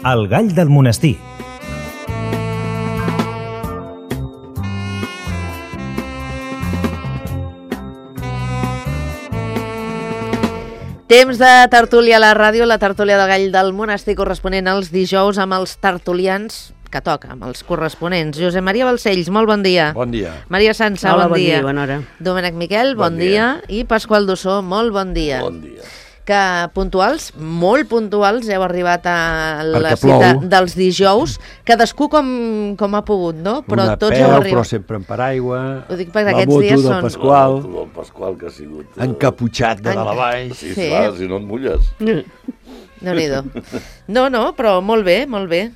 El gall del monestir. Temps de tertúlia a la ràdio, la tertúlia del gall del monestir corresponent als dijous amb els tertulians que toca, amb els corresponents. Josep Maria Balcells, molt bon dia. Bon dia. Maria Sança, Hola, bon dia. Bona hora. Domènec Miquel, bon dia. I Pasqual Dussó, molt bon dia. Bon dia. Que puntuals, molt puntuals, heu arribat a la Perquè cita plou. dels dijous, cadascú com ha pogut, no? Però Una tots peu, heu però arribat. sempre en paraigua. Ho dic perquè la aquests moto dies del són... Pasqual, La moto del Pasqual, que ha sigut... encaputxat de dalt a baix. Sí, Sí. clar, si no et mulles. Déu-n'hi-do. No, però molt bé, molt bé.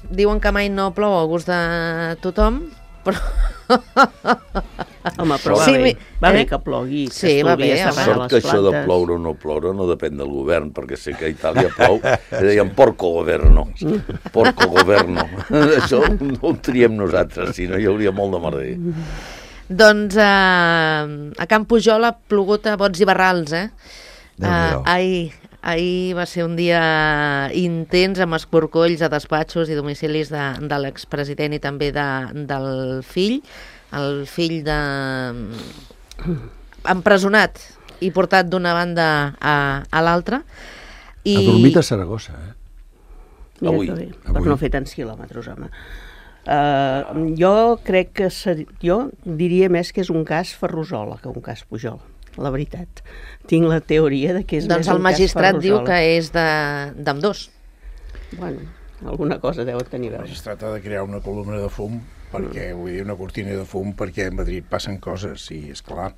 Diuen que mai no plou a gust de tothom, però... Home, però Sí, va bé que plogui. Sí, va bé, home. Sort que això de ploure o no ploure no depèn del govern, perquè sé que a Itàlia plou, i deien porco governo, porco governo. Això no ho triem nosaltres, si no hi hauria molt de merder. Doncs a Can Pujol ha plogut a bots i barrals, Ahir va ser un dia intens amb escorcolls a despatxos i domicilis de l'expresident i també del fill, el fill empresonat i portat d'una banda a l'altra. Ha dormit a Saragossa, Avui. Per no fer tants quilòmetres, home. Jo crec que jo diria més que és un cas Ferrusola que un cas Pujol, la veritat. Tinc la teoria de que és doncs més el un cas magistrat Ferrusola. diu que és d'ambdós. Bueno, alguna cosa deu tenir a veure. Es tracta de crear una columna de fum, perquè, vull dir, una cortina de fum, perquè a Madrid passen coses, i és clar,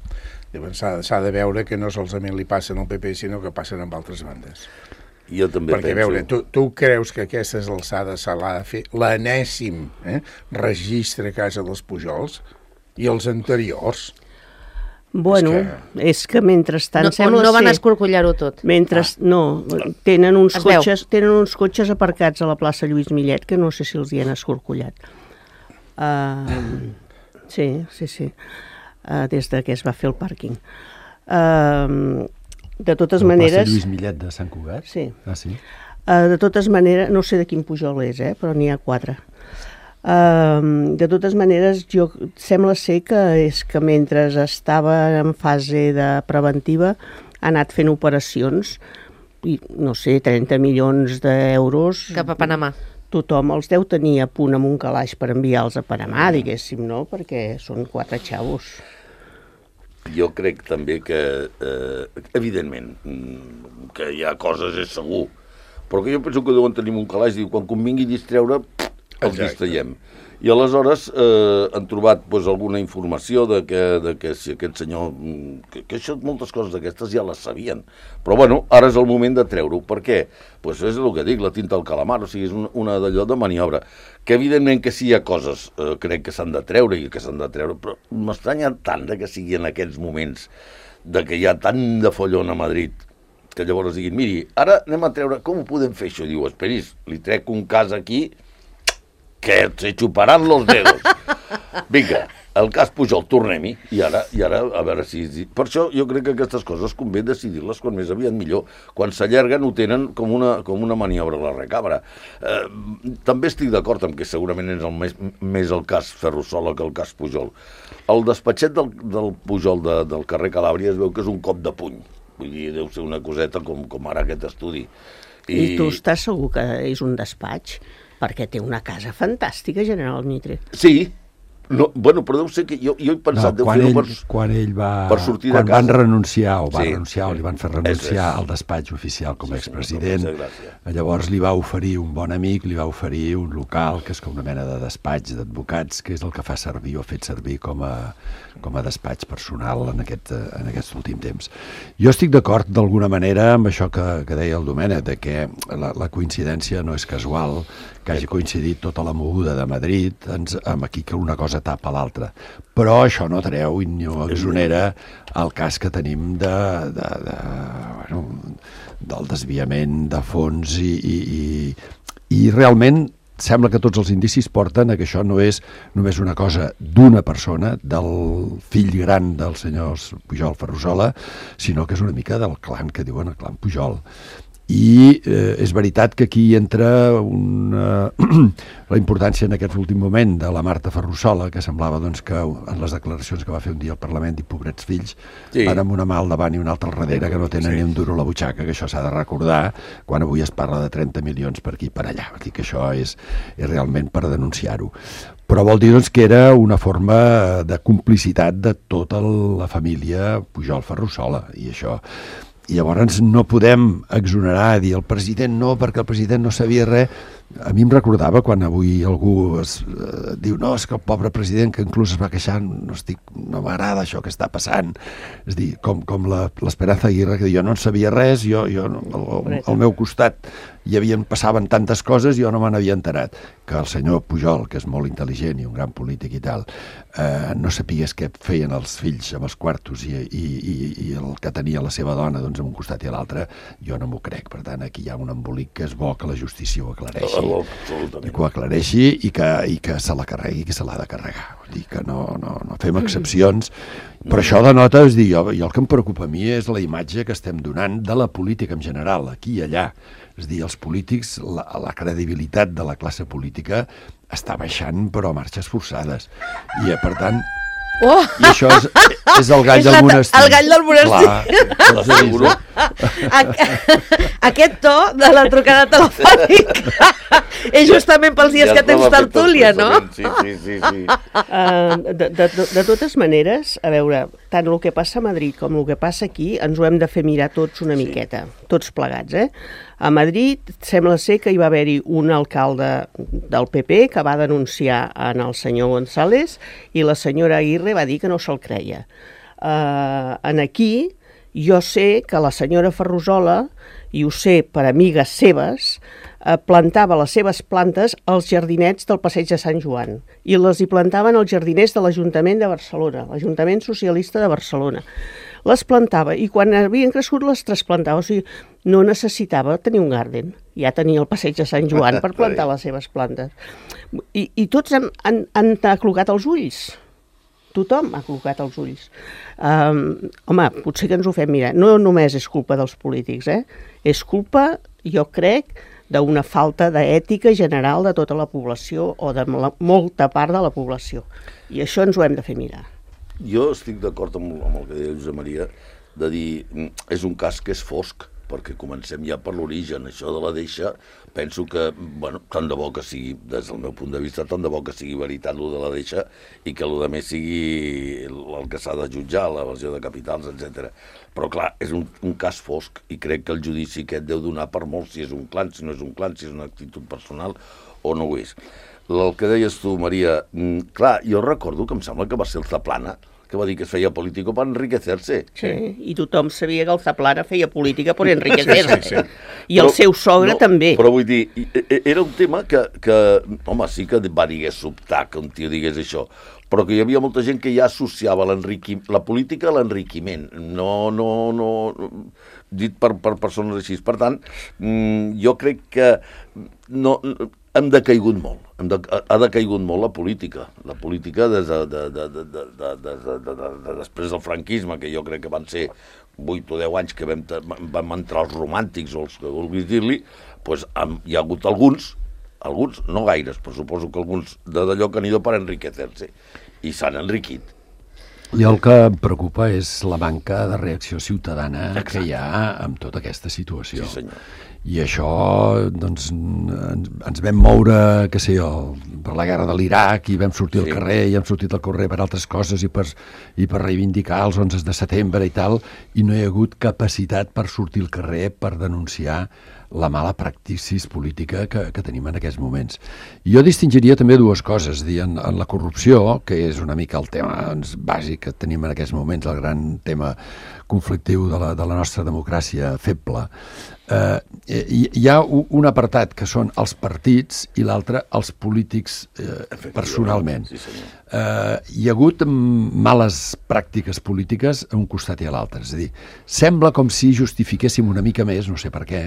s'ha de veure que no solament li passen al PP, sinó que passen amb altres bandes. Jo també Perquè, penso... a veure, tu creus que a aquestes alçades se l'ha de fer l'enèsim registre a casa dels Pujols i els anteriors? Bueno, és que mentrestant sembla no van ser... escorcollar-ho tot. No, tenen uns Es veu. cotxes aparcats a la plaça Lluís Millet que no sé si els hi han escorcollat. Sí. Des de que es va fer el pàrquing. De totes maneres... La plaça Lluís Millet de Sant Cugat? Sí. Ah, sí? De totes maneres, no sé de quin Pujol és, però n'hi ha 4. De totes maneres, sembla ser que és que mentre estava en fase de preventiva ha anat fent operacions i, no sé, 30 milions d'euros... Cap a Panamà. Tothom els deu tenir a punt amb un calaix per enviar-los a Panamà, diguéssim, no? Perquè són 4 xavos. Jo crec també que, evidentment, que hi ha coses, és segur, però que jo penso que deuen tenir un calaix, diu, quan convingui distreure, els distraiem. I aleshores han trobat alguna informació de que si aquest senyor... Que això, moltes coses d'aquestes ja les sabien. Però, bueno, ara és el moment de treure-ho. Per què? Doncs és el que dic, la tinta al calamar, o sigui, és una d'allò de maniobra. Que, evidentment, que sí hi ha coses, crec que s'han de treure i que s'han de treure, però m'estranya tant que sigui en aquests moments de que hi ha tant de follon a Madrid, que llavors diguin, miri, ara anem a treure, com ho podem fer això? Diu, esperis, li trec un cas aquí que se xuparan los dedos. Vinga, el cas Pujol, tornem-hi, i ara, a veure si... Per això jo crec que aquestes coses convé decidir-les quan més aviat millor. Quan s'allarguen ho tenen com una maniobra a la recàmera. També estic d'acord amb que segurament és més el cas Ferrusola que el cas Pujol. El despatxet del Pujol del carrer Calàbria es veu que és un cop de puny. Vull dir, deu ser una coseta com ara aquest estudi. I tu estàs segur que és un despatx? Perquè té una casa fantàstica, General Mitre. Sí, bueno, però deu ser que jo he pensat... Quan ell va... Per sortir de casa... Quan van renunciar, o li van fer renunciar al despatx oficial com a expresident, llavors li va oferir un bon amic, li va oferir un local, que és com una mena de despatx d'advocats, que és el que fa servir o ha fet servir com a despatx personal en aquest últim temps. Jo estic d'acord d'alguna manera amb això que deia el Domènec, de que la coincidència no és casual, que hagi coincidit tota la moguda de Madrid amb aquí que una cosa tapa l'altra. Però això no treu i no exonera el cas que tenim del desviament de fons i realment sembla que tots els indicis porten a que això no és només una cosa d'una persona, del fill gran dels senyors Pujol Ferrusola, sinó que és una mica del clan que diuen el clan Pujol. i és veritat que aquí entra la importància en aquest últim moment de la Marta Ferrusola, que semblava doncs, que en les declaracions que va fer un dia al Parlament i pobrets fills van amb una mà al davant i una altra al darrere, que no tenen ni un duro a la butxaca, que això s'ha de recordar quan avui es parla de 30 milions per aquí i per allà. Vull dir que això és realment per denunciar-ho. Però vol dir doncs, que era una forma de complicitat de tota la família Pujol-Ferrusola, i això... I llavors no podem exonerar, dir el president no, perquè el president no sabia res. A mi em recordava quan avui algú diu no, és que el pobre president, que inclús es va queixar, no m'agrada això que està passant. És dir, com l'Esperanza Aguirre, que diu, jo no en sabia res, al meu costat passaven tantes coses, jo no me n'havia enterat. Que el senyor Pujol, que és molt intel·ligent i un gran polític i tal, no sapigués què feien els fills amb els quartos i el que tenia la seva dona doncs, a un costat i a l'altre, jo no m'ho crec. Per tant, aquí hi ha un embolic que és bo que la justícia ho aclareixi, i que ho aclareixi i que se la carregui, que se l'ha de carregar. Vull dir que no fem excepcions, però això denota, és dir, jo el que em preocupa a mi és la imatge que estem donant de la política en general, aquí i allà. És dir, els polítics, la credibilitat de la classe política està baixant, però a marxes forçades. I, per tant, i això és el gall del monestir. El gall del monestir. Aquest to de la trucada telefònica és justament pels dies que tens tertúlia, no? Sí. De totes maneres, a veure, tant el que passa a Madrid com el que passa aquí ens ho hem de fer mirar tots una miqueta, tots plegats, A Madrid sembla ser que hi va haver-hi un alcalde del PP que va denunciar en el senyor González i la senyora Aguirre va dir que no se'l creia. En aquí jo sé que la senyora Ferrusola, i ho sé per amigues seves, plantava les seves plantes als jardinets del Passeig de Sant Joan i les hi plantaven als jardiners de l'Ajuntament de Barcelona, l'Ajuntament Socialista de Barcelona. Les plantava i quan havien crescut les trasplantava, o sigui, no necessitava tenir un garden, ja tenia el Passeig de Sant Joan per plantar les seves plantes. I tots han aclocat els ulls. Tothom ha col·locat els ulls. Home, potser que ens ho fem mirar. No només és culpa dels polítics, És culpa, jo crec, d'una falta d'ètica general de tota la població o de molta part de la població. I això ens ho hem de fer mirar. Jo estic d'acord amb el que deia Josep Maria, de dir, és un cas que és fosc, perquè comencem ja per l'origen. Això de la deixa, penso que, bueno, tant de bo que sigui, des del meu punt de vista, tant de bo que sigui veritat el de la deixa i que el de més sigui el que s'ha de jutjar, la versió de capitals, etc. Però, clar, és un cas fosc i crec que el judici aquest deu donar per molt si és un clan, si no és un clan, si és una actitud personal o no ho és. El que deies tu, Maria, clar, jo recordo que em sembla que va ser el Zaplana, que va dir que es feia política per enriquecer-se. Sí, i tothom sabia que el Zaplana feia política per enriquecer-se. I el seu sogre també. Però vull dir, era un tema que home, sí que va sobtar que un tio digués això, però que hi havia molta gent que ja associava la política a l'enriquiment, no dit per persones així. Per tant, jo crec que hem decaigut molt. Ha decaigut molt la política. La política des després del franquisme, que jo crec que van ser 8 o 10 anys que vam entrar els romàntics o els que vulguis dir-li, doncs hi ha hagut alguns, no gaires, però suposo que alguns d'allò que han ido per enriquecer-se, i s'han enriquit. I el que em preocupa és la manca de reacció ciutadana que hi ha amb tota aquesta situació. Sí, senyor. I això, doncs, ens vam moure, què sé jo, per la guerra de l'Iraq i vam sortir al carrer i hem sortit al carrer per altres coses i per reivindicar els 11 de setembre i tal, i no hi ha hagut capacitat per sortir al carrer per denunciar la mala praxis política que tenim en aquests moments. I jo distingiria també dues coses, en la corrupció, que és una mica el tema bàsic que tenim en aquests moments, el gran tema conflictiu de la nostra democràcia feble. Hi ha un apartat que són els partits i l'altre els polítics personalment. Hi ha hagut males pràctiques polítiques a un costat i a l'altre. És a dir, sembla com si justifiquéssim una mica més, no sé per què,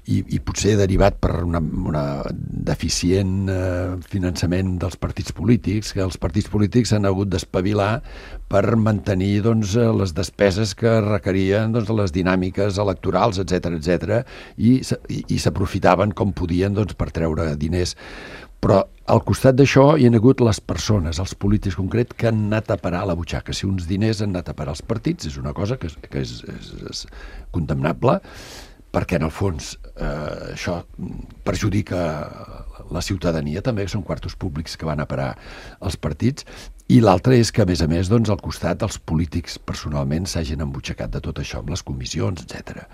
i potser derivat per una deficient finançament dels partits polítics, que els partits polítics han hagut d'espavilar per mantenir les despeses que requerien les dinàmiques electorals, etc i s'aprofitaven com podien per treure diners. Però al costat d'això hi ha hagut les persones, els polítics concret, que han anat a parar a la butxaca. Si uns diners han anat a parar als partits, és una cosa que és condemnable, perquè en el fons això perjudica la ciutadania també, que són quartos públics que van a parar als partits, i l'altre és que, a més, al costat els polítics personalment s'hagin embutxacat de tot això amb les comissions, etc.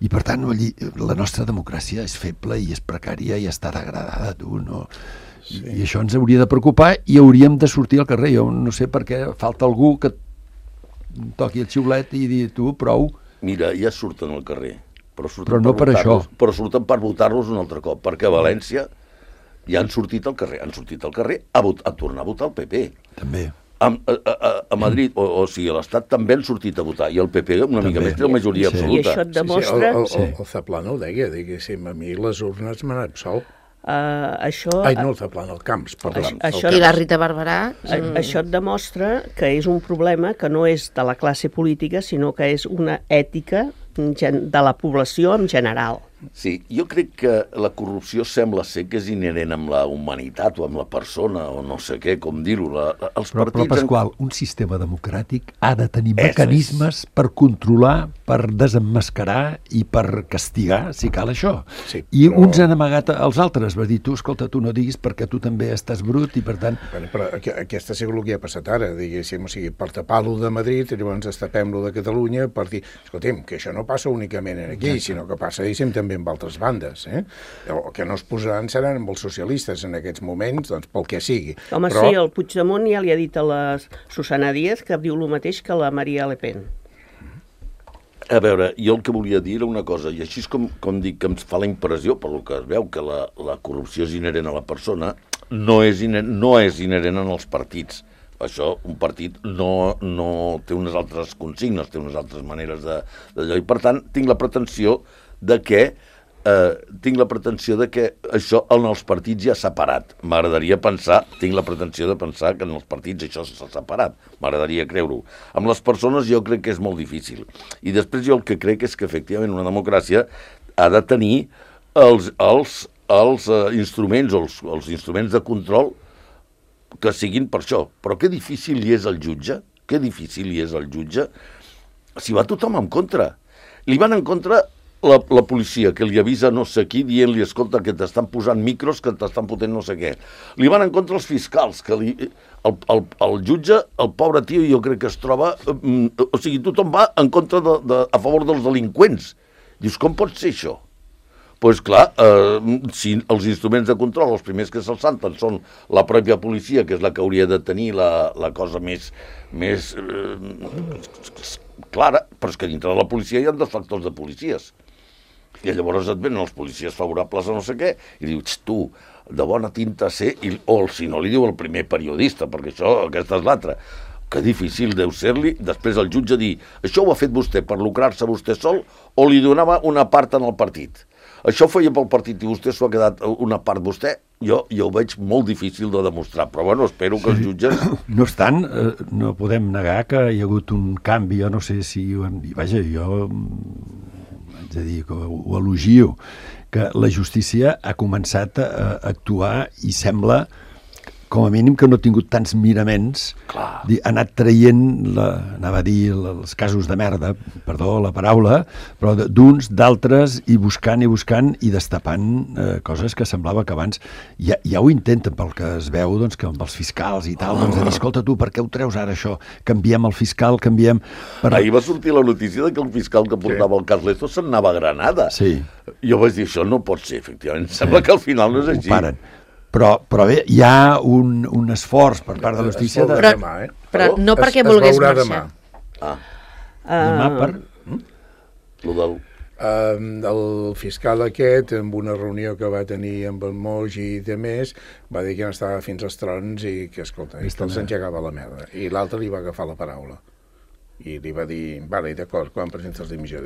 I per tant la nostra democràcia és feble i és precària i està degradada, no? Sí. I això ens hauria de preocupar i hauríem de sortir al carrer. Jo no sé per què falta algú que toqui el xiulet i dir tu, prou. Mira, ja surten al carrer. Però no per això. Però surten per votar-los un altre cop, perquè a València ja han sortit al carrer a tornar a votar el PP. També. A Madrid, o sigui, a l'Estat també han sortit a votar, i el PP una mica més té la majoria absoluta. I això et demostra... El Zaplana ho deia, diguéssim, a mi les urnes m'han absolt. Això... Ai, no, el Zaplana, el Camps, perdó. I la Rita Barberà... Això et demostra que és un problema que no és de la classe política, sinó que és una ètica de la població en general. Sí, jo crec que la corrupció sembla ser que és inherent amb la humanitat o amb la persona, o no sé què, com dir-ho. Però, Pasqual, un sistema democràtic ha de tenir mecanismes per controlar, per desemmascarar i per castigar, si cal això. Sí, I uns han amagat als altres, va dir, tu, escolta, tu no diguis perquè tu també estàs brut i per tant... Però aquesta és el que ha passat ara, diguéssim, o sigui, per tapar-lo de Madrid, i llavors destapem-lo de Catalunya per dir, escolta'm, que això no passa únicament aquí, sinó que passa, diguéssim, també amb altres bandes, o que no es posaran seran amb els socialistes en aquests moments, doncs pel que sigui. Home, però... sí, el Puigdemont ja li ha dit a la Susana Díaz que diu el mateix que la Maria Le Pen. A veure, jo el que volia dir era una cosa, i així és com dic que em fa la impressió, per lo que es veu, que la corrupció és inherent a la persona, no és inherent en els partits. Això, un partit no té unes altres consignes, té unes altres maneres d'allò, i per tant tinc la pretensió de que això en els partits ja s'ha parat. Tinc la pretensió de pensar que en els partits això s'ha separat. M'agradaria creure-ho. Amb les persones jo crec que és molt difícil. I després jo el que crec és que efectivament una democràcia ha de tenir els instruments, els instruments de control que siguin per això. Però que difícil hi és el jutge, si va tothom en contra. Li van en contra la policia, que li avisa no sé qui, dient-li, escolta, que t'estan posant micros, que t'estan fotent no sé què. Li van en contra els fiscals, que el jutge, el pobre tio, jo crec que es troba... O sigui, tothom va en contra a favor dels delinqüents. Dius, com pot ser això? Doncs clar, si els instruments de control, els primers que se'ls salten són la pròpia policia, que és la que hauria de tenir la cosa més clara, però és que dintre de la policia hi ha deflectors de policies. I llavors et venen els policies favorables a no sé què, i dius, tu, de bona tinta ser, o si no li diu el primer periodista, perquè aquesta és l'altra. Que difícil deu ser-li, després el jutge dir, això ho ha fet vostè per lucrar-se vostè sol, o li donava una part en el partit. Això ho feia pel partit i vostè s'ho ha quedat una part vostè, jo ho veig molt difícil de demostrar, però bueno, espero que els jutges... No obstant, no podem negar que hi ha hagut un canvi, jo no sé si ho hem dit, vaja, jo haig de dir que ho elogio, que la justícia ha començat a actuar i sembla com a mínim que no ha tingut tants miraments, ha anat traient, anava a dir els casos de merda, perdó la paraula, però d'uns, d'altres, i buscant i destapant coses que semblava que abans ja ho intenten, pel que es veu, doncs, que amb els fiscals i tal, doncs de dir, escolta tu, per què ho treus ara això? Canviem el fiscal, canviem... Ahir va sortir la notícia de que el fiscal que portava el cas Lezo se'n anava a Granada. Sí. Jo vaig dir, això no pot ser, efectivament. Sembla que al final no és així. Ho paren. Però bé, hi ha un esforç per part de la justícia... Però no perquè volgués marxar. Demà per... El fiscal aquest, en una reunió que va tenir amb el Moix i de més, va dir que no estava fins als trons i que, escolta, que els engegava la merda. I l'altre li va agafar la paraula. I li va dir, vale, d'acord, quan presentes la dimissió?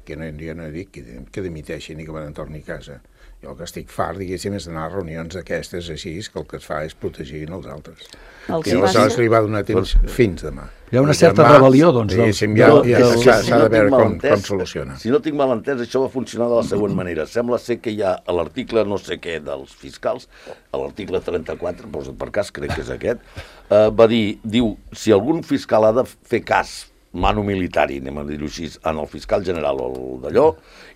que jo no he dit que dimiteixin i que van torni a casa. Jo el que estic fart, diguéssim, és d'anar a reunions d'aquestes així, que el que es fa és protegir els altres. I aleshores li va donar temps fins demà. Hi ha una certa rebel·lió, doncs. S'ha de veure com soluciona. Si no tinc mal entès, això va funcionar de la següent manera. Sembla ser que hi ha a l'article no sé què dels fiscals, a l'article 34, per cas crec que és aquest, diu, si algun fiscal ha de fer cas manu militari, anem a dir-ho així, en el fiscal general o d'allò,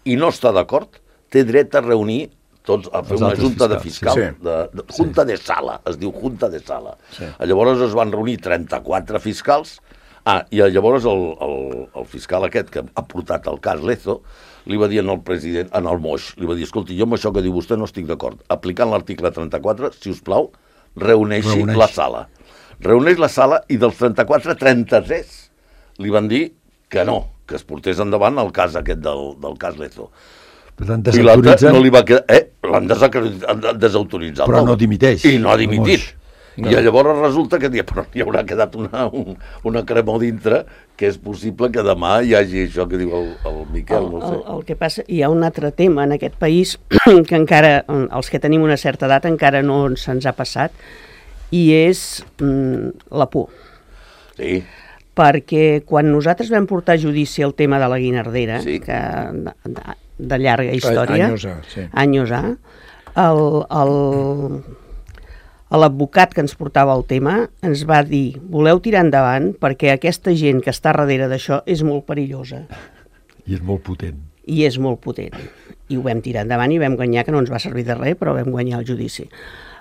i no està d'acord, té dret a reunir tots, a fer una junta de fiscal, junta de sala, es diu junta de sala. Llavors es van reunir 34 fiscals, i llavors el fiscal aquest que ha portat el cas Lezo li va dir al president, al Moix, li va dir, escolti, jo amb això que diu vostè no estic d'acord. Aplicant l'article 34, si us plau, reuneixi la sala. Reuneix la sala i dels 34, 33 li van dir que no, que es portés endavant el cas aquest del cas Lezo. I l'altre no li va quedar... L'han desautoritzat. Però no dimiteix. I no ha dimitit. I llavors resulta que hi haurà quedat una cremor dintre, que és possible que demà hi hagi això que diu el Miquel. El que passa, hi ha un altre tema en aquest país que encara, els que tenim una certa edat, encara no se'ns ha passat, i és la por. Sí. Perquè quan nosaltres vam portar a judici el tema de la Guinardera, que de llarga història, anys A, l'advocat que ens portava el tema ens va dir, voleu tirar endavant perquè aquesta gent que està darrere d'això és molt perillosa. I és molt potent. I és molt potent. I ho vam tirar endavant i vam guanyar, que no ens va servir de res, però vam guanyar el judici.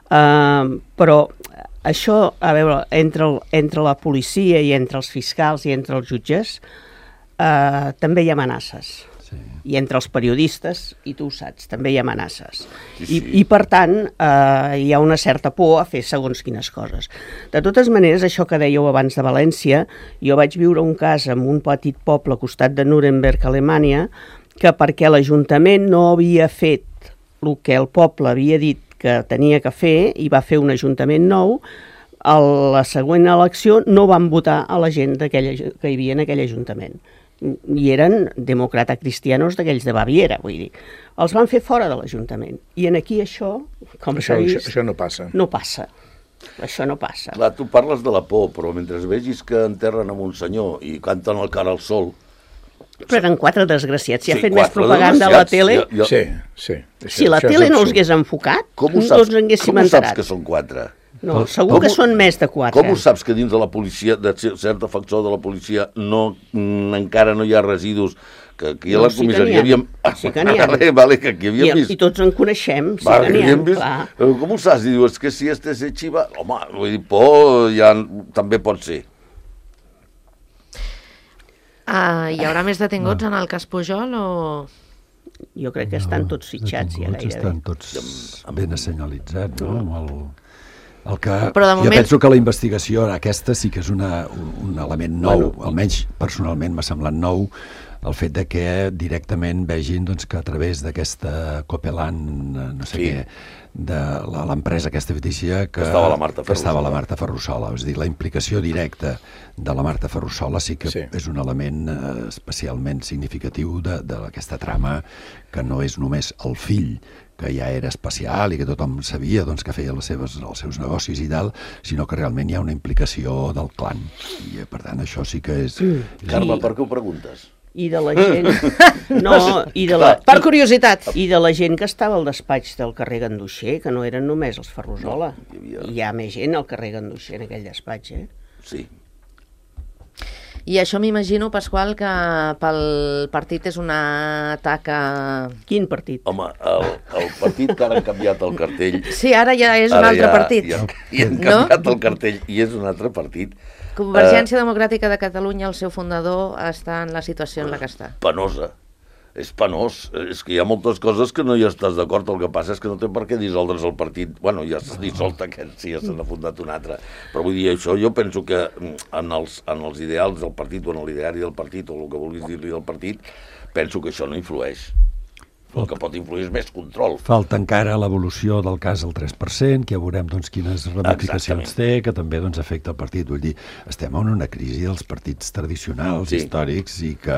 Però això, a veure, entre la policia i entre els fiscals i entre els jutges, també hi ha amenaces. I entre els periodistes, i tu ho saps, també hi ha amenaces. I per tant, hi ha una certa por a fer segons quines coses. De totes maneres, això que dèieu abans de València, jo vaig viure un cas en un petit poble al costat de Nuremberg, Alemanya, que perquè l'Ajuntament no havia fet el que el poble havia dit que tenia que fer, i va fer un ajuntament nou, a la següent elecció no van votar a la gent que hi havia en aquell ajuntament. I eren democrata-cristianos d'aquells de Baviera, vull dir. Els van fer fora de l'Ajuntament. I en aquí això, com s'ha vist... Això no passa. No passa. Això no passa. Clar, tu parles de la por, però mentre vegis que enterren amb un senyor i canten el cara al sol... Però eren 4 desgraciats. Si ha fet més propaganda a la tele... Sí. Si la tele no us hagués enfocat, no ens haguéssim enterat. Com ho saps que són 4? No, segur que són més de 4. Com ho saps que dins de la policia, de cert factor de la policia, encara no hi ha residus? Que aquí a la comissaria havíem... Sí que n'hi ha. Vale, que aquí havíem vist... I tots en coneixem, sí que n'hi ha, clar. Com ho saps? I dius, que si este se xiva... Home, vull dir, por ja també pot ser. Hi haurà més detinguts en el cas Pujol o...? Jo crec que estan tots fitxats ja gairebé. Estan tots ben assenyalitzats, no? Però de moment... Jo penso que la investigació aquesta sí que és un element nou, almenys personalment m'ha semblat nou, el fet de que directament vegin que a través d'aquesta Copeland, no sé què, de l'empresa aquesta fictícia que estava la Marta Ferrusola. És a dir, la implicació directa de la Marta Ferrusola sí que és un element especialment significatiu d'aquesta trama, que no és només el fill, que ja era especial i que tothom sabia que feia els seus negocis i tal, sinó que realment hi ha una implicació del clan. I per tant això sí que és... Carme, per què ho preguntes? I de la gent... Per curiositat. I de la gent que estava al despatx del carrer Ganduixer, que no eren només els Ferrusola. Hi ha més gent al carrer Ganduixer en aquell despatx, Sí. I això m'imagino, Pasqual, que pel partit és una taca... Quin partit? Home, el partit que ara han canviat el cartell... Sí, ara ja és un altre partit. I han canviat el cartell i és un altre partit. Convergència Democràtica de Catalunya, el seu fundador, està en la situació en la que està. Penosa. És penós. És que hi ha moltes coses que no hi estàs d'acord. El que passa és que no té per què dissoldre's el partit. Bueno, ja s'ha dissolt aquest, sí, ja se n'ha fundat un altre. Però vull dir, això jo penso que en els ideals del partit o en l'ideari del partit o el que vulguis dir-li del partit, penso que això no influeix. El que pot influir és més control. Falta encara l'evolució del cas del 3%, que ja veurem doncs, quines ramificacions té, que també doncs, afecta el partit. Vull dir, estem en una crisi dels partits tradicionals, històrics, i que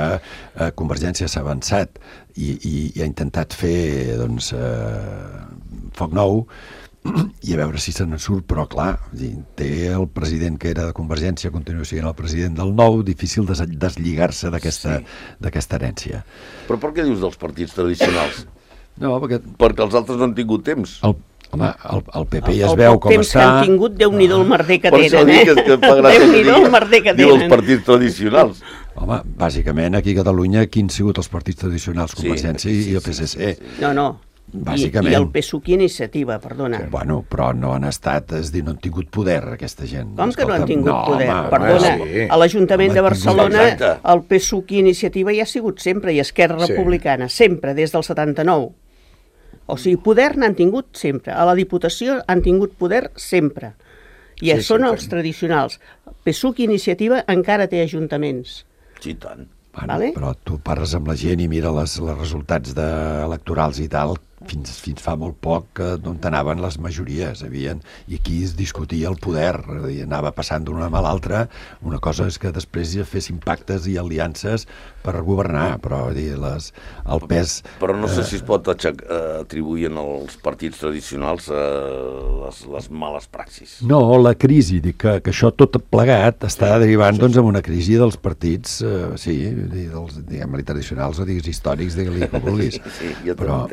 Convergència s'ha avançat i ha intentat fer doncs, foc nou, i a veure si se n'en surt, però clar, té el president que era de Convergència, continua sent el president del Nou, difícil deslligar-se d'aquesta herència. Però per què dius dels partits tradicionals? No, perquè els altres no han tingut temps. Home, el PP ja es veu com està... El temps que han tingut, Déu-n'hi-do el merder que tenen, Per això dic que fa gràcia que digui els partits tradicionals. Home, bàsicament aquí a Catalunya, quins han sigut els partits tradicionals? Convergència i el PSC. No. Bàsicament. I el PSUC i Iniciativa, perdona. Bueno, però no han estat, és dir, no han tingut poder, aquesta gent. Com que no han tingut poder? Perdona, a l'Ajuntament de Barcelona el PSUC i Iniciativa ja ha sigut sempre, i Esquerra Republicana, sempre, des del 79. O sigui, poder n'han tingut sempre. A la Diputació han tingut poder sempre. I són els tradicionals. PSUC i Iniciativa encara té ajuntaments. Sí, tant. Bueno, però tu parles amb la gent i mira els resultats electorals i tal, fins fa molt poc d'on anaven les majories, i aquí es discutia el poder, anava passant d'una mà a l'altra. Una cosa és que després fessin pactes i aliances per governar, però el pes... Però no sé si es pot atribuir als partits tradicionals les males praxis. No, la crisi, dic que això tot plegat està derivant doncs en una crisi dels partits, diguem-li tradicionals o digues històrics, digue-li com vulguis. Sí, ja però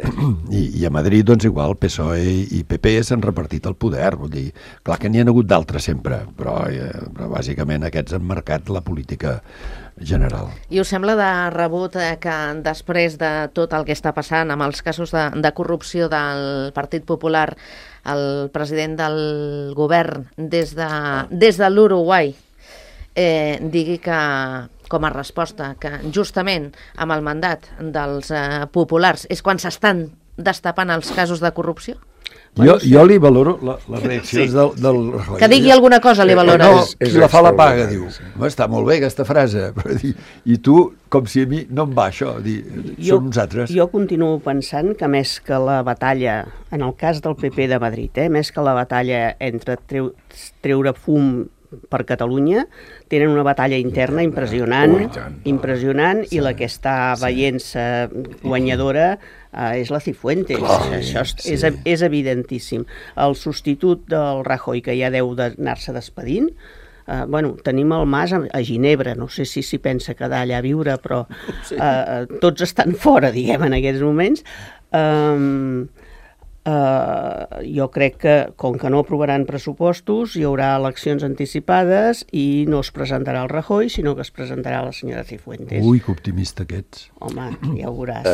i a Madrid, doncs igual, PSOE i PP s'han repartit el poder, vull dir, clar que n'hi ha hagut d'altres sempre, però bàsicament aquests han marcat la política general. I us sembla de rebut que després de tot el que està passant amb els casos de corrupció del Partit Popular, el president del govern des de l'Uruguai digui que, com a resposta, que justament amb el mandat dels populars és quan s'estan destapant els casos de corrupció? Jo li valoro les reaccions del Rajoy. Que digui alguna cosa li valora. No, qui la fa la paga, diu. Està molt bé aquesta frase, però i tu, com si a mi no em va això, som nosaltres. Jo continuo pensant que més que la batalla, en el cas del PP de Madrid, més que la batalla entre treure fum per Catalunya, tenen una batalla interna impressionant, i la que està veient-se guanyadora és la Cifuentes. Això és evidentíssim. El substitut del Rajoy, que ja deu d'anar-se despedint, tenim el Mas a Ginebra, no sé si s'hi pensa quedar allà a viure, però tots estan fora, diguem, en aquests moments. Jo crec que, com que no aprovaran pressupostos, hi haurà eleccions anticipades i no es presentarà el Rajoy, sinó que es presentarà la senyora Cifuentes. Ui, que optimista que ets. Home, ja ho veuràs.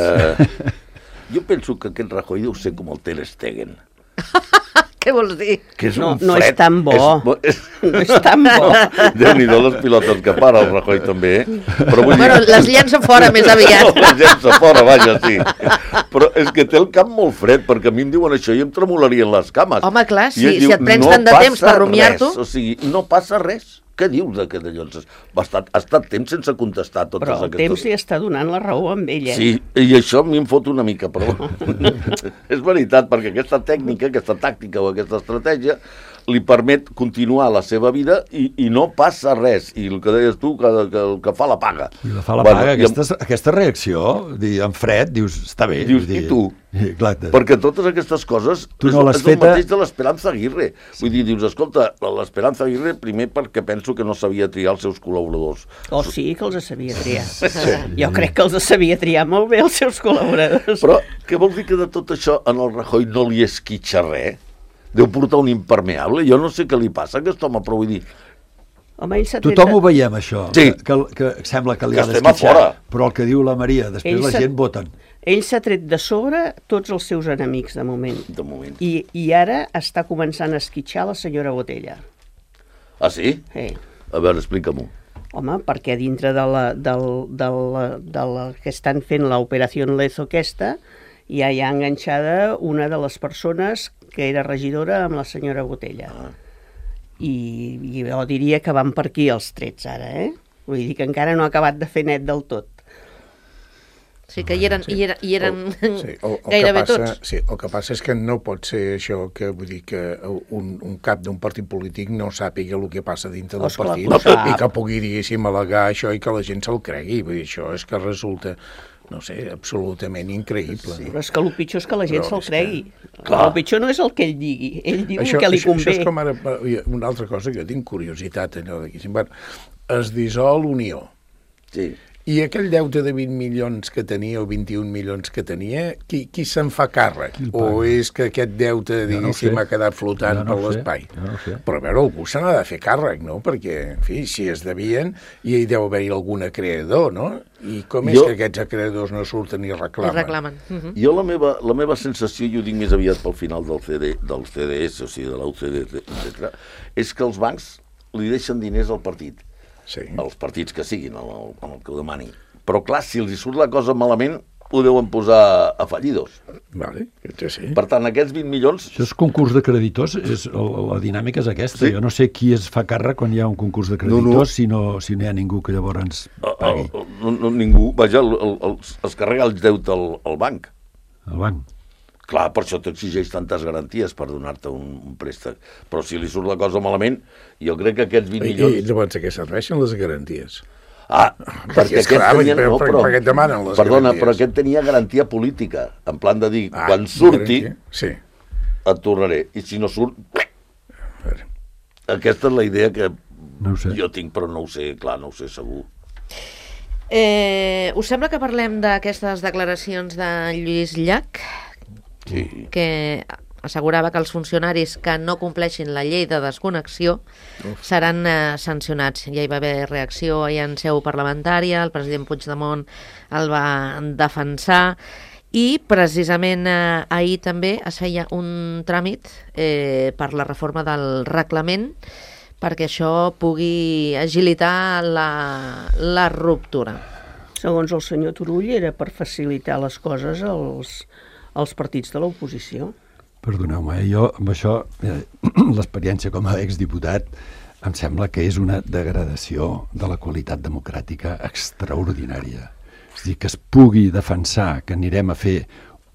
Jo penso que aquest Rajoy deu ser com el Ter Stegen. Què vols dir? Que és un no fred. És tan bo. No és tan bo. Déu-n'hi-do les pilotes que para el Rajoy també. Però vull dir... les llença fora més aviat. Les llença fora, vaja, sí. Però és que té el cap molt fred, perquè a mi em diuen això i em tremolarien les cames. Home, clar, si et prens tant de temps per rumiar-t'ho... O sigui, no passa res. Què dius d'aquest allò? Ha estat temps sense contestar totes aquestes... Però el temps li està donant la raó amb ella. Sí, i això a mi em fot una mica, però és veritat, perquè aquesta tècnica, aquesta tàctica o aquesta estratègia li permet continuar la seva vida i no passa res. I el que deies tu, que el que fa la paga. I la fa la paga, aquesta reacció, en fred, dius, està bé. Dius, i tu? Exacte. Perquè totes aquestes coses és el mateix de l'Esperanza Aguirre. Vull dir, dius, escolta, l'Esperanza Aguirre primer perquè penso que no sabia triar els seus col·laboradors. Sí que els sabia triar. Jo crec que els sabia triar molt bé els seus col·laboradors. Però què vol dir que de tot això en el Rajoy no li esquitxa res? Deu portar un impermeable? Jo no sé què li passa a aquest home, però vull dir... Home, tothom ho veiem, això, sí. que sembla que li ha d'esquitxar, però el que diu la Maria, després la gent voten. Ell s'ha tret de sobre tots els seus enemics, de moment. De moment. I ara està començant a esquitxar la senyora Botella. Ah, sí? Sí. A veure, explica-m'ho. Home, perquè dintre de la que estan fent l'operació Lezo aquesta, ja hi ha enganxada una de les persones que era regidora amb la senyora Botella. I jo diria que van per aquí els trets ara, Vull dir que encara no ha acabat de fer net del tot. Sí, que hi eren gairebé tots. Sí, el que passa és que no pot ser això, que vull dir que un cap d'un partit polític no sàpiga el que passa dintre del partit i que pugui, diguéssim, al·legar això i que la gent se'l cregui. Vull dir, això és que resulta, no sé, absolutament increïble. Sí, però és que el pitjor és que la gent se'l cregui. El pitjor no és el que ell digui, ell diu el que li convé. Això és com ara, una altra cosa que jo tinc curiositat, allò d'aquí. Es dissol Unió. Sí. I aquell deute de 20 milions que tenia, o 21 milions que tenia, qui se'n fa càrrec? O és que aquest deute, diguéssim, ha quedat flotant per l'espai? Però a veure, algú se n'ha de fer càrrec, no? Perquè, en fi, si es devien, hi deu haver-hi algun acreedor, no? I com és que aquests acreedors no surten i reclamen? Jo la meva sensació, i ho dic més aviat pel final del CDS, o sigui, de la UCD, etc., és que els bancs li deixen diners al partit. Sí. Els partits que siguin, el que ho demanin. Però clar, si els hi surt la cosa malament, ho deuen posar a fallidos. Vale, sí. Per tant, aquests 20 milions... Això és concurs de creditors, la dinàmica és aquesta. Sí. Jo no sé qui es fa càrrec quan hi ha un concurs de creditors si no hi ha ningú que llavors ens pagui. Ningú, vaja, es carrega el deute al banc. El banc. Clar, per això t'exigeix tantes garanties per donar-te un préstec. Però si li surt la cosa malament, jo crec que aquests 20 milions... I llavors a què serveixen les garanties? Perquè és clar, per què et demanen les garanties? Perdona, però aquest tenia garantia política, en plan de dir, quan surti, et tornaré. I si no surt... Aquesta és la idea que jo tinc, però no ho sé, clar, no ho sé segur. Us sembla que parlem d'aquestes declaracions de Lluís Llach? Sí. Que assegurava que els funcionaris que no compleixin la llei de desconnexió seran sancionats. Ja hi va haver reacció en seu parlamentària, el president Puigdemont el va defensar i precisament ahir també es feia un tràmit per la reforma del reglament perquè això pugui agilitar la ruptura. Segons el senyor Turull era per facilitar les coses als partits de l'oposició. Perdoneu-me, jo amb això, l'experiència com a exdiputat, em sembla que és una degradació de la qualitat democràtica extraordinària. És a dir, que es pugui defensar que anirem a fer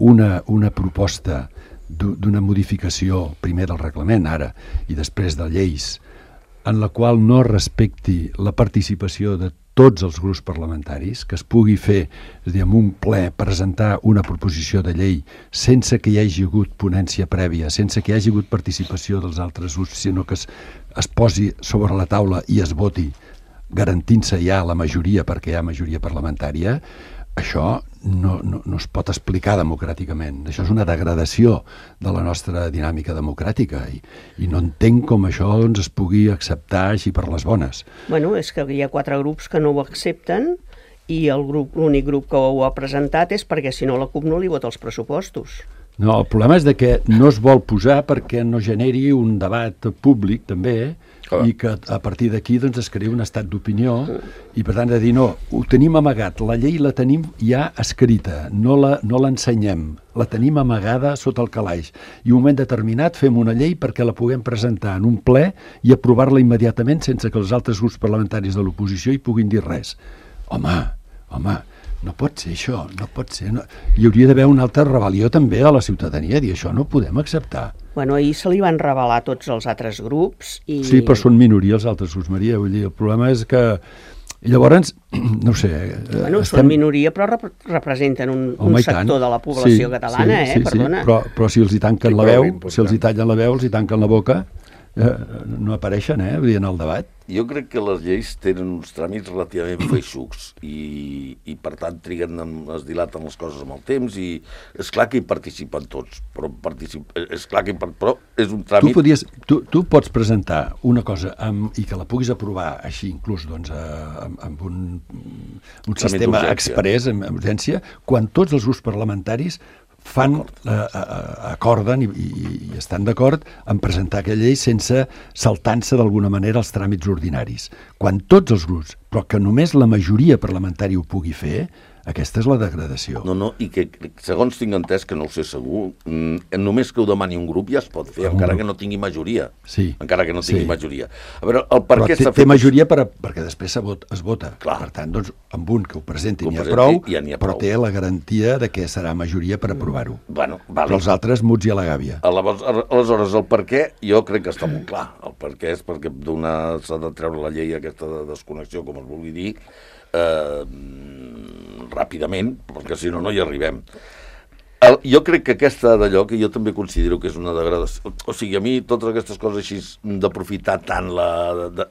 una proposta d'una modificació, primer del reglament, ara, i després de lleis, en la qual no respecti la participació de tots els grups parlamentaris, que es pugui fer, és a dir, amb un ple, presentar una proposició de llei sense que hi hagi hagut ponència prèvia, sense que hi hagi hagut participació dels altres grups, sinó que es posi sobre la taula i es voti, garantint-se ja la majoria, perquè hi ha majoria parlamentària, això no es pot explicar democràticament. Això és una degradació de la nostra dinàmica democràtica i no entenc com això es pugui acceptar així per les bones. Bueno, és que hi ha 4 grups que no ho accepten i l'únic grup que ho ha presentat és perquè si no la CUP no li vota els pressupostos. No, el problema és que no es vol posar perquè no generi un debat públic també i que a partir d'aquí es crea un estat d'opinió i per tant de dir no, ho tenim amagat, la llei la tenim ja escrita, no l'ensenyem, la tenim amagada sota el calaix i un moment determinat fem una llei perquè la puguem presentar en un ple i aprovar-la immediatament sense que els altres grups parlamentaris de l'oposició hi puguin dir res. Home, no pot ser això, no pot ser. No. Hi hauria d'haver una altra rebel·lió també a la ciutadania, dir això no ho podem acceptar. Bueno, ahir se li van rebel·lar tots els altres grups i... Sí, però són minoria els altres grups, Maria. Vull dir, el problema és que... I llavors, no ho sé... Bueno, són minoria, però representen un sector de la població catalana, perdona. Sí, però si els hi tanquen la veu, si els hi tallen la veu, els hi tanquen la boca, no apareixen, vull dir, en el debat. Jo crec que les lleis tenen uns tràmits relativament feixucs i per tant es dilaten les coses amb el temps i és clar que hi participen tots, però és un tràmit... Tu pots presentar una cosa i que la puguis aprovar així, inclús amb un sistema exprés, amb urgència, quan tots els grups parlamentaris acorden i estan d'acord en presentar aquella llei sense saltant-se d'alguna manera els tràmits ordinaris. Quan tots els grups, però que només la majoria parlamentària ho pugui fer, Aquesta és la degradació. No, i que segons tinc entès, que no ho sé segur, només que ho demani un grup ja es pot fer, encara que no tingui majoria. Sí. Encara que no tingui majoria. A veure, el per què s'ha fet... Té majoria perquè després es vota. Clar. Per tant, doncs, amb un que ho presenti n'hi ha prou, ja n'hi ha però prou. té la garantia de que serà majoria per aprovar-ho. Bueno, Però els altres muts i a la gàbia. Aleshores, el per què, jo crec que està molt clar. El per què és perquè s'ha de treure la llei aquesta de desconnexió, com es vulgui dir, ràpidament, perquè si no, no hi arribem. Jo crec que aquesta d'allò, que jo també considero que és una degradació, o sigui, a mi totes aquestes coses així d'aprofitar tant,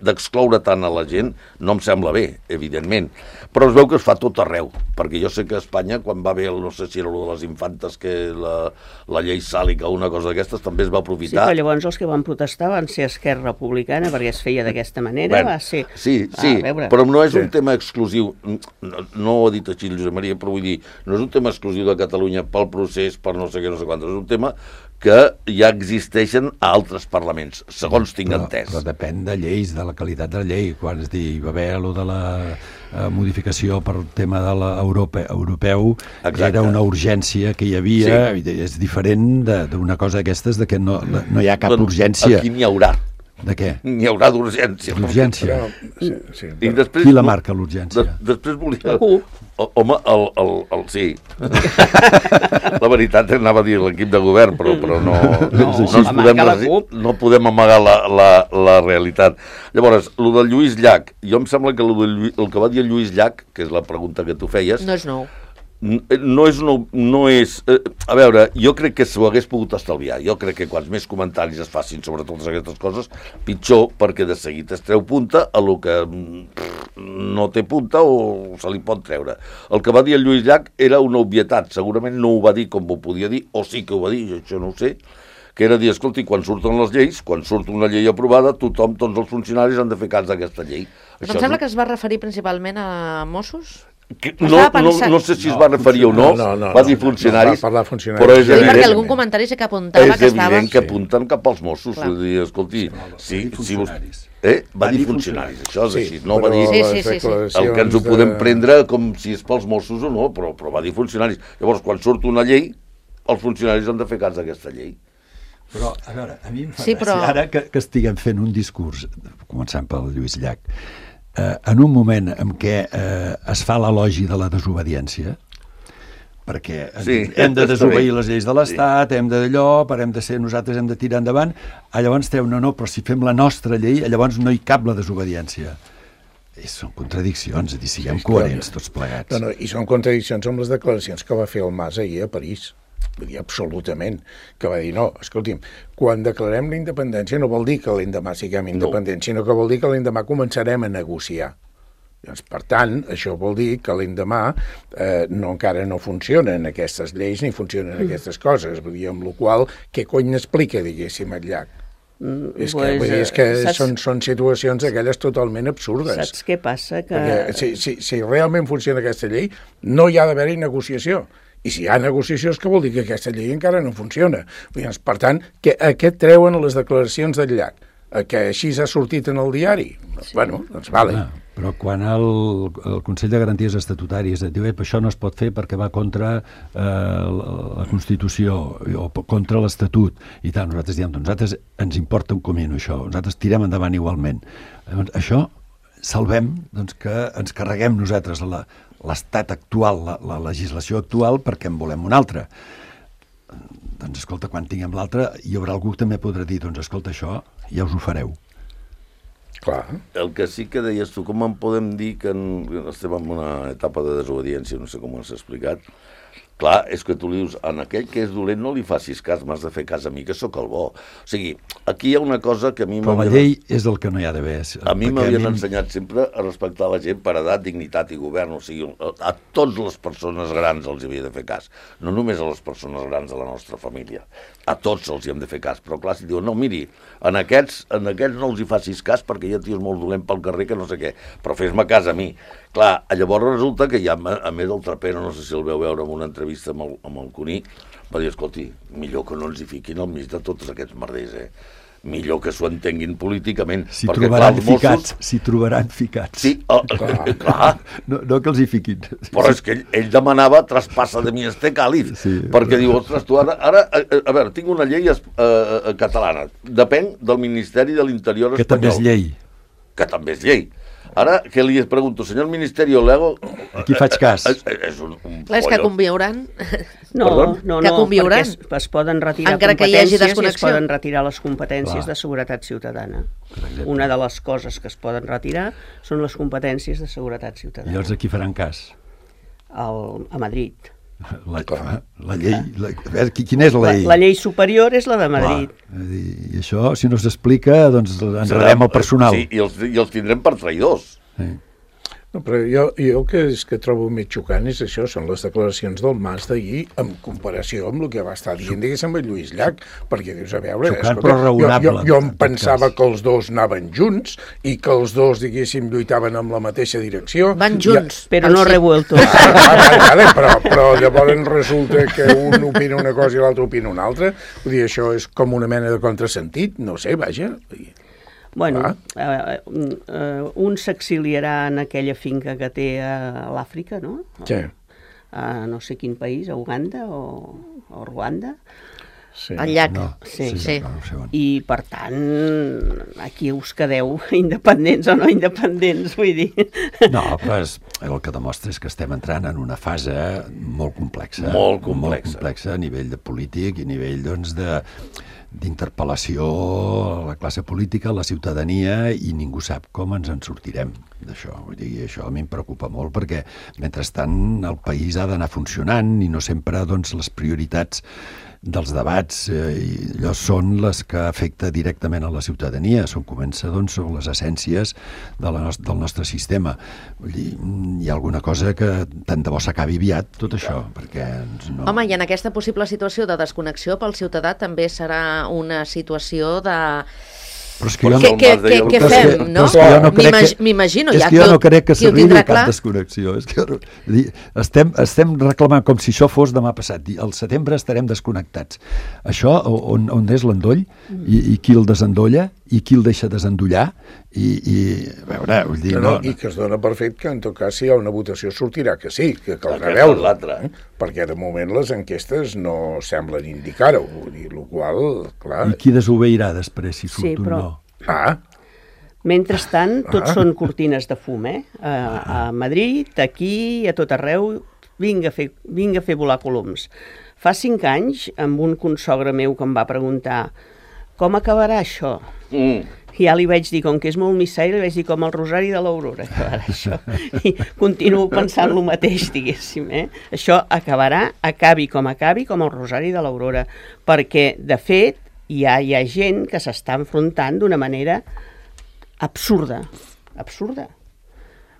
d'excloure tant a la gent, no em sembla bé, evidentment, però es veu que es fa tot arreu, perquè jo sé que a Espanya, quan va haver, no sé si era de les infantes, que la llei sàlica o una cosa d'aquestes, també es va aprofitar. Sí, però llavors els que van protestar van ser Esquerra Republicana, perquè es feia d'aquesta manera, va ser... Sí, però no és un tema exclusiu, no ho ha dit així el Josep Maria, però vull dir, no és un tema exclusiu de Catalunya pel procés, per no sé què, no sé quantos, és un tema que ja existeixen a altres parlaments, segons tinc entès. Però depèn de lleis, de la qualitat de la llei. Quan es diu, va haver allò de la modificació per tema de l'europeu, era una urgència que hi havia, és diferent d'una cosa d'aquestes, de que no hi ha cap urgència. Aquí n'hi haurà. De què? N'hi haurà d'urgència. D'urgència? I després, qui la marca, l'urgència? Després volia... Home, sí. La veritat anava a dir l'equip de govern, però no podem amagar la realitat. Llavors, el del Lluís Llach, jo em sembla que el que va dir el Lluís Llach, que és la pregunta que tu feies... No és nou. No és... A veure, jo crec que s'ho hagués pogut estalviar. Jo crec que quants més comentaris es facin sobre totes aquestes coses, pitjor, perquè de seguit es treu punta a lo que no té punta o se li pot treure. El que va dir el Lluís Llach era una obvietat. Segurament no ho va dir com ho podia dir, o sí que ho va dir, això no ho sé, que era dir, escolti, quan surten les lleis, quan surt una llei aprovada, tots els funcionaris han de fer cas d'aquesta llei. Però em sembla que es va referir principalment a Mossos? No sé si es va referir o no, va dir funcionaris, va parlar funcionaris, però és evident, perquè algun comentari sí que apuntava que estava... És evident que apunten cap als Mossos, vull dir, escolti, va dir funcionaris, això és així, no va dir el que ens ho podem prendre com si és pels Mossos o no, però va dir funcionaris. Llavors, quan surt una llei, els funcionaris han de fer cas d'aquesta llei. Però, a veure, a mi em fa gràcia, ara que estiguem fent un discurs, començant pel Lluís Llach, en un moment en què es fa l'elogi de la desobediència, perquè hem de desobeir les lleis de l'Estat, hem d'allò, nosaltres hem de tirar endavant, llavors no, però si fem la nostra llei, llavors no hi cap la desobediència. Són contradiccions, siguem coherents tots plegats. No, i són contradiccions amb les declaracions que va fer el Mas ahir a París. Vull dir, absolutament, que va dir, no, escolti'm, quan declarem la independència no vol dir que l'endemà siguem independents, sinó que vol dir que l'endemà començarem a negociar. Doncs, per tant, això vol dir que l'endemà encara no funcionen aquestes lleis ni funcionen aquestes coses. Vull dir, amb la qual cosa, què cony n'explica, diguéssim, el Llach? És que són situacions aquelles totalment absurdes. Saps què passa? Si realment funciona aquesta llei, no hi ha d'haver-hi negociació. I si hi ha negociació és que vol dir que aquesta llei encara no funciona. Per tant, què treuen les declaracions del Llach? Que així s'ha sortit en el diari? Bueno, doncs vale. Però quan el Consell de Garanties Estatutàries et diu això no es pot fer perquè va contra la Constitució o contra l'Estatut i tal, nosaltres diem, nosaltres ens importa un comino això, nosaltres tirem endavant igualment. Llavors, això salvem que ens carreguem nosaltres l'estat actual, la legislació actual, perquè en volem una altra. Doncs, escolta, quan tinguem l'altra, hi haurà algú que també podrà dir, doncs, escolta, això ja us ho fareu. Clar. El que sí que deies tu, com en podem dir que estem en una etapa de desobediència, no sé com ho has explicat. Clar, és que tu li dius, en aquell que és dolent no li facis cas, m'has de fer cas a mi, que sóc el bo. O sigui, aquí hi ha una cosa que a mi... Però la llei és el que no hi ha d'haver. A mi m'havien ensenyat sempre a respectar la gent per edat, dignitat i govern. O sigui, a totes les persones grans els havia de fer cas. No només a les persones grans de la nostra família. A tots els hi hem de fer cas. Però clar, si diuen, no, miri, en aquests no els hi facis cas perquè hi ha tios molt dolent pel carrer que no sé què. Però fes-me cas a mi. Clar, llavors resulta que ja, a més del Trapero, no sé si el veu veure en una entrevista amb el Cuní, va dir, escolti, millor que no ens hi fiquin al mig de tots aquests merders, millor que s'ho entenguin políticament. S'hi trobaran ficats, s'hi trobaran ficats. Sí, clar. No que els hi fiquin. Però és que ell demanava traspassa de mi este càlid, perquè diu, ostres, tu ara, a veure, tinc una llei catalana, depèn del Ministeri de l'Interior espanyol. Que també és llei. Que també és llei. Ara, què li pregunto, senyor Ministeri Olego... Aquí faig cas. És un és que conviuran. No, que conviuran. perquè es poden retirar encara competències que hi hagi i es poden retirar les competències de seguretat ciutadana. Una de les coses que es poden retirar són les competències de seguretat ciutadana. I llavors aquí faran cas? A Madrid. La llei... A veure, quina és la llei? La llei superior és la de Madrid. I això, si no s'explica, doncs enredem el personal. Sí, i els tindrem per traïdors. Sí. No, però jo el que trobo més xocant és això, són les declaracions del Mas d'ahir en comparació amb el que va estar dient, diguéssim, amb Lluís Llach, perquè dius, a veure... Xocant, però raonable. Jo em pensava que els dos anaven junts i que els dos, diguéssim, lluitaven amb la mateixa direcció. Van junts. Però no revueltos. Però llavors resulta que un opina una cosa i l'altre opina una altra. Vull dir, això és com una mena de contrasentit, no sé, vaja... Bueno, un s'exiliarà en aquella finca que té a l'Àfrica, no? Sí. A no sé quin país, a Uganda o Ruanda. Sí. Al llac. No, Sí. no sé on. I, per tant, aquí us quedeu independents o no independents, vull dir. No, però el que demostra és que estem entrant en una fase molt complexa. Molt complexa. A nivell de polític i a nivell, doncs, d'interpel·lació a la classe política, a la ciutadania, i ningú sap com ens en sortirem d'això. Vull dir, això a mi em preocupa molt perquè, mentrestant, el país ha d'anar funcionant i no sempre, doncs, les prioritats dels debats allò són les que afecta directament a la ciutadania. Comença, doncs, són les essències del nostre sistema. Vull dir, hi ha alguna cosa que tant de bo s'acabi aviat, tot això, perquè no... Home, i en aquesta possible situació de desconnexió pel ciutadà també serà una situació de... Però és que Què fem, no? M'imagino, és que jo no crec que s'arribi a cap desconnexió. És que estem reclamant com si això fos demà passat. Al setembre estarem desconnectats. Això, on és l'endoll, i qui el desendolla, i qui el deixa desendollar, i a veure, vull dir... I que es dona per fet que, en tot cas, si hi ha una votació, sortirà que sí, que caldrà veure l'altre. Perquè, de moment, les enquestes no semblen indicar-ho. Vull dir, el qual, clar... I qui desobeirà després, si surt un no? Mentrestant, tots són cortines de fum, a Madrid, aquí, a tot arreu, vinga a fer volar coloms. Fa 5 anys, amb un consogre meu que em va preguntar com acabarà això? I ja li vaig dir, com que és molt missai, li vaig dir com el Rosari de l'Aurora acabarà això. I continuo pensant el mateix, diguéssim. Això acabi com el Rosari de l'Aurora. Perquè, de fet, hi ha gent que s'està enfrontant d'una manera absurda.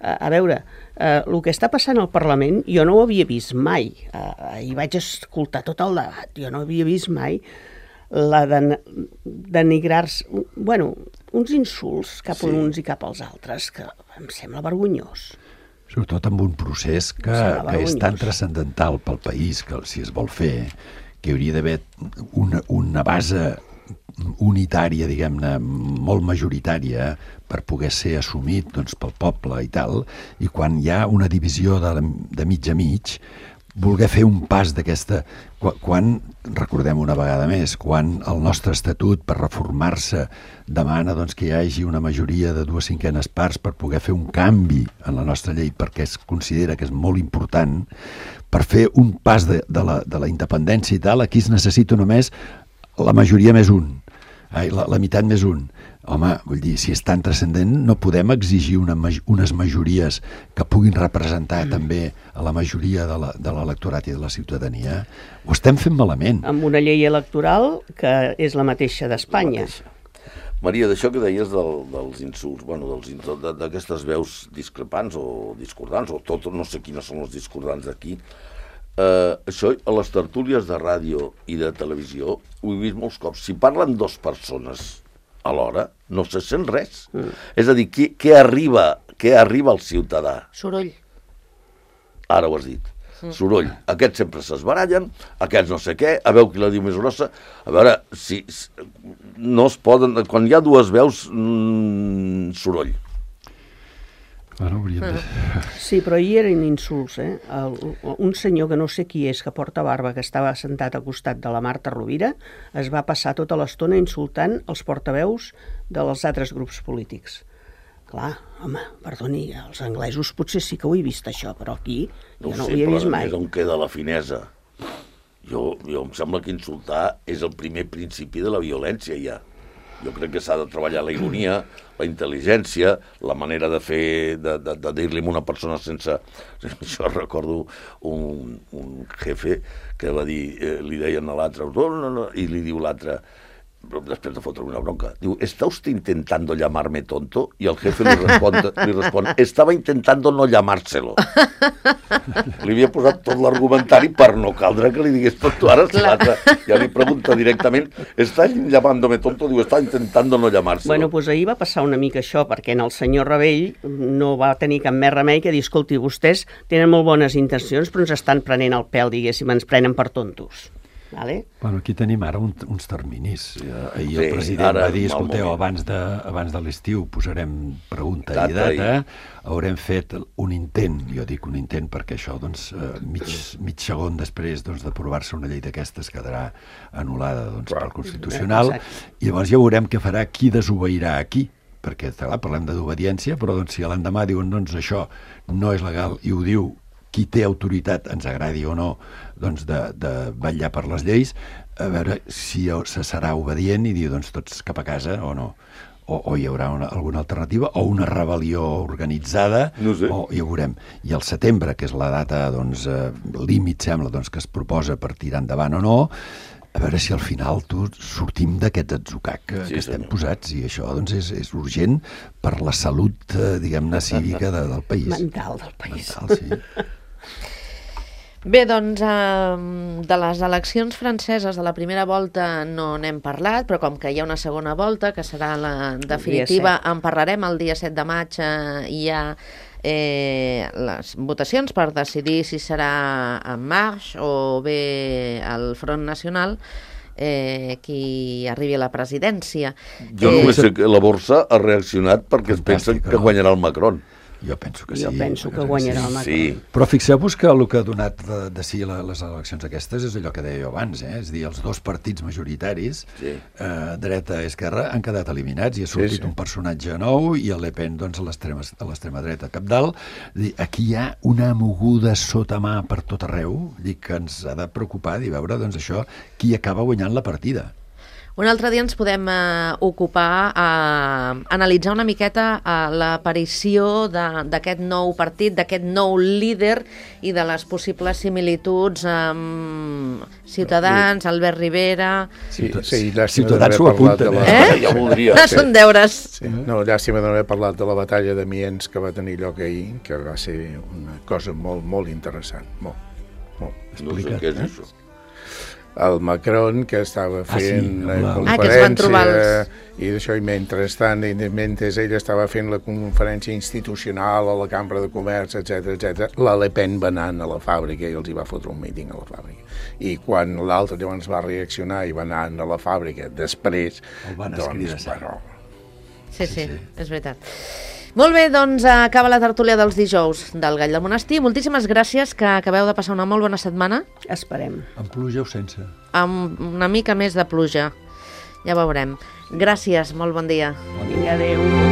A veure, el que està passant al Parlament jo no ho havia vist mai. Ahir vaig escoltar tot el debat, jo no havia vist mai la denigrar-se, uns insults cap a uns i cap als altres, que em sembla vergonyós. Sobretot amb un procés que és tan transcendental pel país, que si es vol fer, que hauria d'haver una base unitària, diguem-ne, molt majoritària, per poder ser assumit, doncs, pel poble i tal, i quan hi ha una divisió de mig a mig, voler fer un pas d'aquesta... Quan, recordem una vegada més, quan el nostre estatut, per reformar-se, demana doncs, que hi hagi una majoria de 2/5 parts per poder fer un canvi en la nostra llei, perquè es considera que és molt important, per fer un pas de la independència i tal, aquí es necessita només la majoria més un, la meitat més un. Home, vull dir, si és tan transcendent, no podem exigir unes majories que puguin representar també a la majoria de l'electorat i de la ciutadania. Ho estem fent malament. Amb una llei electoral que és la mateixa d'Espanya. Maria, d'això que deies dels insults, d'aquestes veus discrepants o discordants, o tot, no sé quines són les discordants d'aquí, això a les tertúlies de ràdio i de televisió ho he vist molts cops. Si parlen 2 persones alhora, no se sent res. És a dir, què arriba al ciutadà? Soroll. Ara ho has dit. Soroll. Aquests sempre s'esbarallen, aquests no sé què, a veure qui la diu més grossa. A veure, si no es poden... Quan hi ha dues veus, soroll. Bueno, hauríem de... Sí, però hi eren insults, eh? Un senyor que no sé qui és, que porta barba, que estava sentat al costat de la Marta Rovira, es va passar tota l'estona insultant els portaveus dels altres grups polítics. Clar, home, perdoni, els anglesos potser sí que ho he vist això, però aquí jo no ho havia vist mai. No sé, però on queda la finesa? Jo em sembla que insultar és el primer principi de la violència, ja. Jo crec que s'ha de treballar la ironia, la intel·ligència, la manera de fer, de dir-li a una persona sense... Jo recordo un jefe que va dir, li deien a l'altre, no, i li diu l'altre, després de fotre una bronca, diu, ¿está usted intentando llamarme tonto? Y el jefe li respon, estaba intentando no llamárselo. Li havia posat tot l'argumentari per no caldre que li digués tonto. Ara l'altre ja li pregunta directament, ¿está llamándome tonto? Diu, está intentando no llamárselo. Bueno, doncs ahir va passar una mica això, perquè en el senyor Rebell no va tenir cap més remei que dir, escolti, vostès tenen molt bones intencions, però ens estan prenent el pèl, diguéssim, ens prenen per tontos. Vale? Bueno, aquí tenim ara uns terminis. Ahir el president va dir, escolteu, abans de l'estiu posarem pregunta i data, haurem fet un intent, jo dic un intent perquè això, doncs, mig segon després d'aprovar-se una llei d'aquestes quedarà anul·lada pel Constitucional, i llavors ja veurem què farà qui desobeirà a qui, perquè, clar, parlem d'obediència, però si a l'endemà diuen, doncs, això no és legal, i ho diu qui té autoritat, ens agradi o no, doncs de vetllar per les lleis, a veure si se serà obedient i dir, doncs, tots cap a casa o no. O hi haurà alguna alternativa, o una rebel·lió organitzada, no sé. O ja ho veurem. I al setembre, que és la data, doncs, límit, sembla, doncs, que es proposa per tirar endavant o no, a veure si al final sortim d'aquest atzucac que estem posats, i això doncs és urgent per la salut, diguem-ne, cívica del país. Mental del país. Mental, sí. Bé, doncs, de les eleccions franceses de la primera volta no n'hem parlat, però com que hi ha una segona volta, que serà la definitiva, en parlarem el dia 7 de maig, hi ha les votacions per decidir si serà En Marche o bé el Front Nacional qui arribi a la presidència. Jo només sé que la borsa ha reaccionat perquè es pensen que guanyarà el Macron. Jo penso que sí. Jo penso que guanyarà el Macron. Sí. Però fixeu-vos que el que ha donat de si les eleccions aquestes és allò que deia jo abans, és dir, els dos partits majoritaris, dreta i esquerra, han quedat eliminats i ha sortit un personatge nou i el Le Pen, doncs, a l'extrema dreta capdalt. Aquí hi ha una moguda sota mà per tot arreu, que ens ha de preocupar i veure, doncs, això, qui acaba guanyant la partida. Un altre dia ens podem ocupar a analitzar una miqueta l'aparició d'aquest nou partit, d'aquest nou líder i de les possibles similituds amb Ciutadans, Albert Rivera... Sí, Ciutadans ho apunten, Ja voldria. Són deures. No, llàstima d'haver parlat de la batalla d'Amiens que va tenir lloc ahir, que va ser una cosa molt, molt interessant. Molt. No sé què és això. El Macron, que estava fent la conferència, i d'això, i mentrestant, mentre ell estava fent la conferència institucional a la Cambra de Comerç, etc, la Le Pen va anar a la fàbrica i els hi va fotre un míting a la fàbrica. I quan l'altre llavors va reaccionar i va anar a la fàbrica, després... El van escriure. Sí, és veritat. Molt bé, doncs acaba la tertúlia dels dijous del Gall del Monestir. Moltíssimes gràcies, que acabeu de passar una molt bona setmana. Esperem. Amb pluja o sense? Amb una mica més de pluja. Ja veurem. Gràcies, molt bon dia. Vinga, adéu.